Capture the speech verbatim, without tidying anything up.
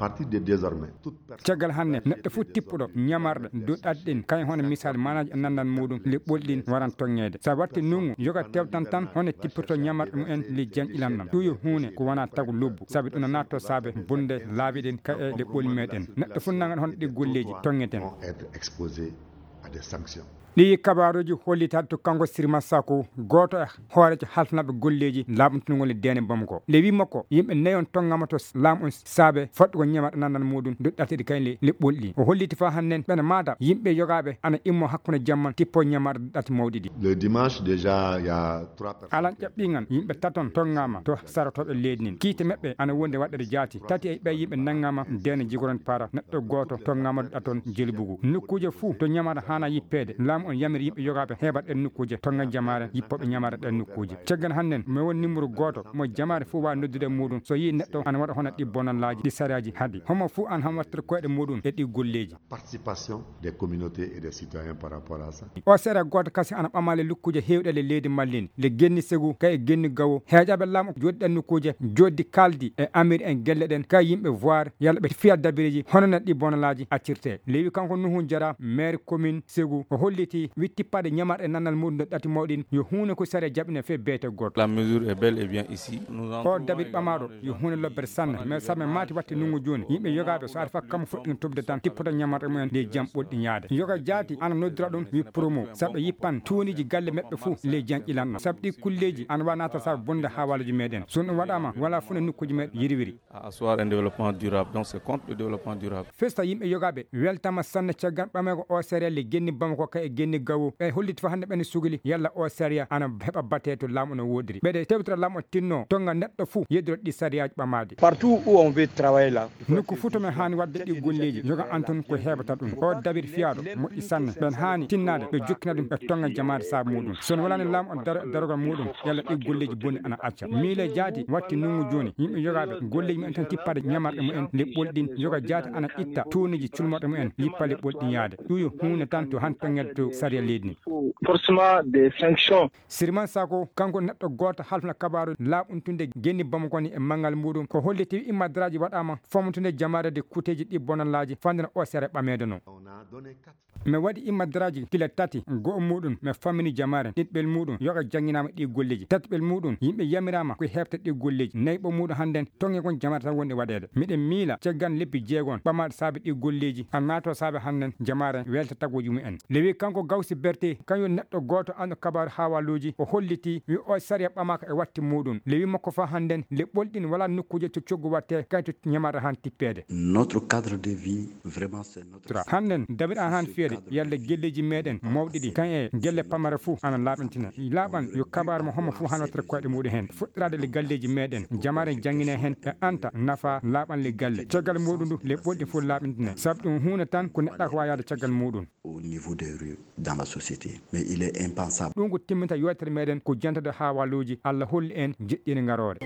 Parti de désormais, toute personne. Caggal hannde, neɗɗo fof tippuɗo ñamarɗe duɗɗaɗe ɗin, kañum hono misal manaaji e nanndal muɗum, leɓɓoli ɗin waran toŋŋeede. So a watti nungu, yoga tewtan tan hono tippito ñamarɗe mumen le janƴilan ɗam. Ɗum yo huunde ko wona tagu lobbu, sabi ɗum no naatto saabe bonde laabi ɗin ka e leɓɓoli meɗen. Neɗɗo fof nangan hono ɗi golleeji toŋŋeten. Vont être exposés à des sanctions. Ɗi kabaaruuji hollitaade to kanko Sirma Sako, gooto e hooreejo halfnaaɓe golleeji laaɓntunugol e deene Bamako. Le wi makko, yimɓe nayon toŋŋama to laamu on saabe faɗɗugol ñamarɗe nanndal muɗum duɗɗateɗi kañ le leɓɓoli ɗi. O holliti faa hannden ɓen maata yimɓe yogaaɓe ana immo hakkunde jamman tippo ñamarɗe ɗati mawɗi ɗi. Le dimanche déjà, il y a trois personnes. Alan ƴaɓɓi ngan yimɓe taton toŋŋama to sarotooɓe leydi nin. Kiite meɓɓe ana wondi waɗɗere jaati. Tati e ɓee yimɓe nanŋama deene jigoron para. Neɗɗo gooto toŋŋama ɗaton jelbugu. Nokkuuje fuu to ñamata haana yippeede. Laamu on yamiri yimɓe yogaaɓe heɓat ɗen nokkuuje toŋŋa jamaare yippooɓe ñamata ɗen nokkuuje. Caggal hannden mi won numéro gooto mo jamaare fuu waawi noddude e muɗum. So yii neɗɗo ana waɗa hono ɗi bonallaaji ɗi sariyaaji haɗi. Homo fuu an han wattata koyɗe muɗum e ɗi golleeji. Participation des communautés et des citoyens par rapport à ça. O seeɗa gooto kasi ana ɓamaali lukkuuje heewɗe le leydi Mallin, le genni Segu, kay e genni Gawo. Heeƴaaɓe laamu jooɗi ɗen nokkuuje, jooɗi kaaldi e amiri en gelle ɗen, kay yimɓe voir, yalla ɓe fiya dabireeji, hono no ɗi bonalaaji accirtee. Lewi kanko Nuhu Jara, maire commune Segu, o holliti wi tippaade ñamarɗe nanndal muɗum ɗo ɗati mawɗin, yo huunde ko sariya jaɓine fee beete gooto. La mesure est bel et bien ici. Nous en O trouvons dabit également ɓamaaɗo des yo gens huunde lobbere sanne, mais sabi maati watti nungu jooni. Yimɓe yogaaɓe so ari faa kam fuɗɗino tubde tan, tippoto ñamarɗe mumen ley jam ɓolɗi ñaade. Yoga jaati ana noddira ɗum wi promo, sabu ɓe yippan tuuniji galle meɓɓe fuu ley janƴilan ɗo. Sabu ɗi kulleeji ana wa naata sabu bonde haawaaluuji meɗen. So ɗum waɗaama, wala fuu no nokkuuji meɗen yirwiri. À asseoir un développement durable. Donc c'est contre le développement durable. Festa yimɓe yogaaɓe weltama sanne caggal ɓameego o sariya le genni Bamako kay e genni Gawo. Ɓe holliti faa hannde ɓen sugli yalla o sariya ana heɓa batee to laamu no woodiri. Ɓeɗe tewtira laamu o tinno tonga neɗɗo fuu yeddoro ɗi sariyaaji ɓamaade. Partout où on veut travailler là, il faut Nokku fuu to men haani waɗde ɗi golleeji, yoga an tun ko heɓata ɗum. O dabir fiyaaɗo moƴƴi sanne. Ɓen haani tinnaade ɓe jokkina ɗum ɓe tonga jamaade saabu muɗum. So no walaani laamu on daro e darogol muɗum, yalla ɗi golleeji bonni ana acca. Miile jaati watti nungu jooni, yimɓe yogaaɓe golleeji mumen tan tippaade ñamarɗe mumen le ɓolɗin, yoga jaati ana itta tuuniji culmorɗe mumen, yippa le ɓolɗin yaade. Ɗum yo huunde tan to han tonngede to sariya leydi ndi. Forcément des sanctions. Sirman Sako, kanko neɗɗo gooto halfna kabaaru laaɓuntunde genni Bamako ni e manngal muɗum. Ko holliti immadraaji waɗaama fomotunde jamaare de kuteeji ɗi bonallaaji fandena o sere ɓameede no. Mi waɗi immadraaji kila tati, go'o muɗum mi fammini jamaare, ɗiɗɓel muɗum yoga jannginaama ɗi golleeji, tatiɓel muɗum yimɓe yamiraama ko heɓta ɗi golleeji, nayɓo muɗum hannden tonge kon jamaare tan woni waɗeede. Miɗen miila caggan lebbi jeegon ɓamaaɗe saabe ɗi golleeji, a naato saabe hannden jamaare welta taguuji mumen. Lewi kanko Gawsi Berte, kañum neɗɗo gooto anndo kabaaru haawaaluuji, o holliti wi o sariya ɓamaaka e watti muɗum. Lewi makko faa hannden le ɓolɗin wala nokkuuje to coggu watte kay to ñamata han tippeede. Notre cadre de vie, vraiment, c'est notre Tra. Hannden dabiɗa han fiyede yalla gelleeji meɗen mawɗi ɗi kan e gelle pamare fuu ana laaɓintina. Laaɓan yo kabaaru mo homo fuu han wattata koyɗe muɗum hen. Fuɗɗiraade le galleeji meɗen, jamaare janngine hen e anta nafa laaɓan le galle. Caggal muɗum ndu le ɓolɗi fuu laaɓintina. Sabu ɗum huunde tan ko neɗɗa ko waawi yaade caggal muɗum. Au niveau des rues, dans la société. Mais il est impensable. Ɗum ko timminta yewtere meɗen ko jantade haawaaluuji. Allah holli en jeɗɗiinde ngaroore.